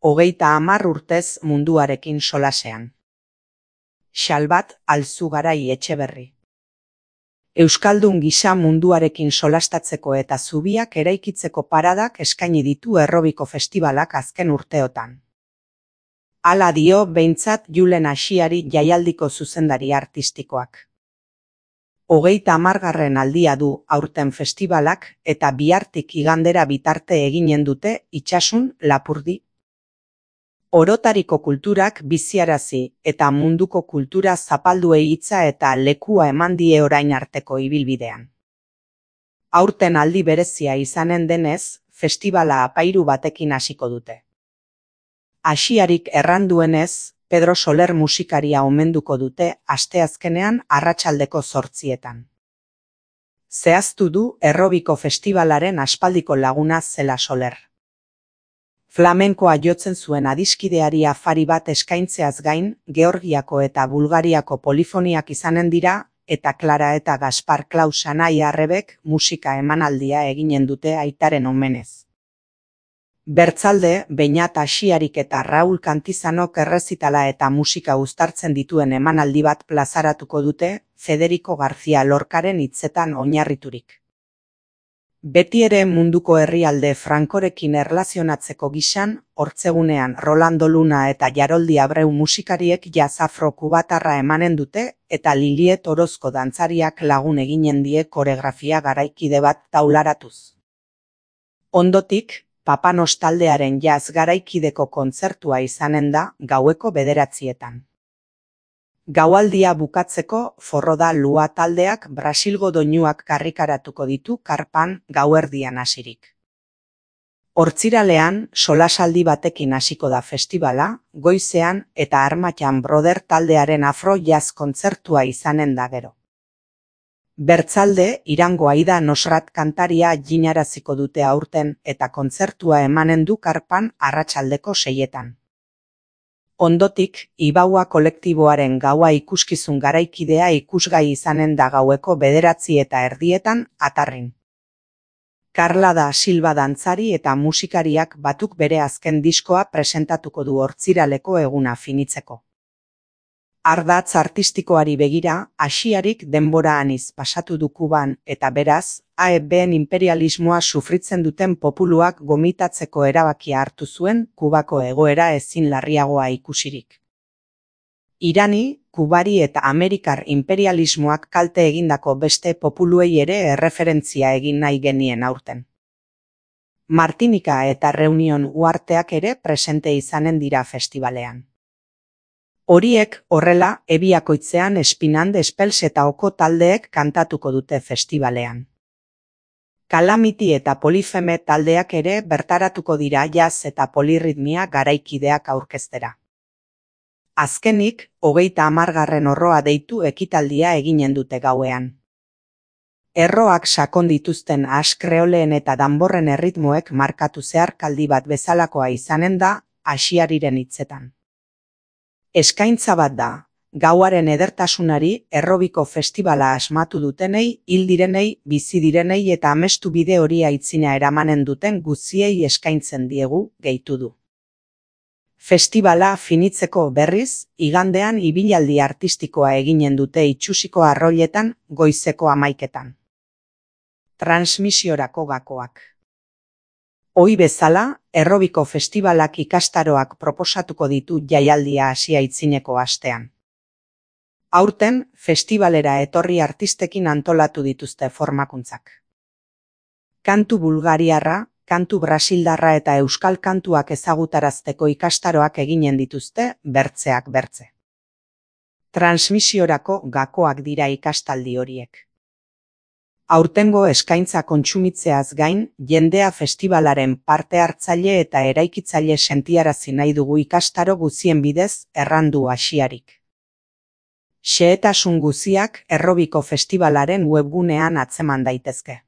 30 urtez munduarekin solasean. Xalbat Alzugarai Etxeberri. Euskaldun gisa munduarekin solastatzeko eta zubiak eraikitzeko paradak eskaini ditu Errobiko festibalak azken urteotan. Hala dio behintzat Julen Asiari jaialdiko zuzendari artistikoak. 30. aldia du aurten festibalak eta bihartik igandera bitarte eginen dute Itsasun Lapurdi. Orotariko kulturak biziarazi eta munduko kultura zapalduei hitza eta lekua eman die orain arteko ibilbidean. Aurten aldi berezia izanen denez, festibala apairu batekin hasiko dute. Asiarik erranduenez, Pedro Soler musikaria omenduko dute asteazkenean arratsaldeko 8:00. Zehaztu du Errobiko festibalaren aspaldiko laguna zela Soler. Flamenkoa jotzen zuen adiskideari afari bat eskaintzeaz gain, Georgiako eta Bulgariako polifoniak izanen dira, eta Clara eta Gaspar Klaus anai arrebek musika emanaldia eginen dute aitaren omenez. Bertzalde, Beñat Asiarik eta Raul Cantizanok errezitala eta musika uztartzen dituen emanaldi bat plazaratuko dute, Federico García Lorcaren hitzetan oinarriturik. Beti ere munduko herrialde frankorekin erlazionatzeko gisan, hortzegunean Rolando Luna eta Jaroldi Abreu musikariek jazz afro-kubatarra emanen dute eta Liliet Orozko dantzariak lagun eginen die koreografia garaikide bat taularatuz. Ondotik, Papanos taldearen jazz garaikideko kontzertua izanen da gaueko 9:00. Gaualdia bukatzeko Forroda Lua taldeak Brasilgo doinuak karrikaratuko ditu karpan gauerdian hasirik. Hortziralean, solasaldi batekin hasiko da festivala, goizean eta Armatxan Brother taldearen afro-jazz kontzertua izanen da gero. Bertzalde, Irango Aida Nosrat kantaria jinaraziko dute aurten eta kontzertua emanen du karpan arratsaldeko 6:00. Ondotik, Ibaua kolektiboaren gaua ikuskizun garaikidea ikusgai izanen da gaueko 9:30 Atarrin. Carla da Silva dantzari eta musikariak batuk bere azken diskoa presentatuko du hortziraleko eguna finitzeko. Ardatz artistikoari begira, Asiarik denbora aniz pasatu du Kuban eta beraz, AEBen imperialismoa sufritzen duten populuak gomitatzeko erabakia hartu zuen Kubako egoera ezin larriagoa ikusirik. Irani, Kubari eta Amerikar imperialismoak kalte egindako beste populuei ere erreferentzia egin nahi genien aurten. Martinika eta Reunion uharteak ere presente izanen dira festivalean. Horiek, horrela, Ebiakoitzean Espinand Espels eta Oko taldeek kantatuko dute festivalean. Calamity eta Polifeme taldeak ere bertaratuko dira jazz eta polirritmia garaikideak aurkeztera. Azkenik, 30. orroa deitu ekitaldia eginen dute gauean. Erroak sakon dituzten askreoleen eta danborren erritmoek markatu zeharkaldi bat bezalakoa izanen da Asiariren hitzetan. Eskaintza bat da, gauaren edertasunari Errobiko festivala asmatu dutenei, hil direnei, bizi direnei eta amestu bide hori aitzina eramanen duten guztiei eskaintzen diegu, gehitu du. Festivala finitzeko berriz, igandean ibilaldi artistikoa eginen dute Itxusiko arroiletan goizeko 11:00. Transmisiorako gakoak. Ohi bezala, Errobiko festibalak ikastaroak proposatuko ditu jaialdia hasi aitzineko astean. Aurten, festivalera etorri artistekin antolatu dituzte formakuntzak. Kantu bulgariarra, kantu brasildarra eta euskal kantuak ezagutarazteko ikastaroak eginen dituzte bertzeak bertze. Transmisiorako gakoak dira ikastaldi horiek. Aurtengo eskaintza kontsumitzeaz gain, jendea festivalaren parte hartzaile eta eraikitzaile sentiarazi nahi dugu ikastaro guzien bidez errandu Asiarik. Xehetasun guziak Errobiko festivalaren webgunean atzeman daitezke.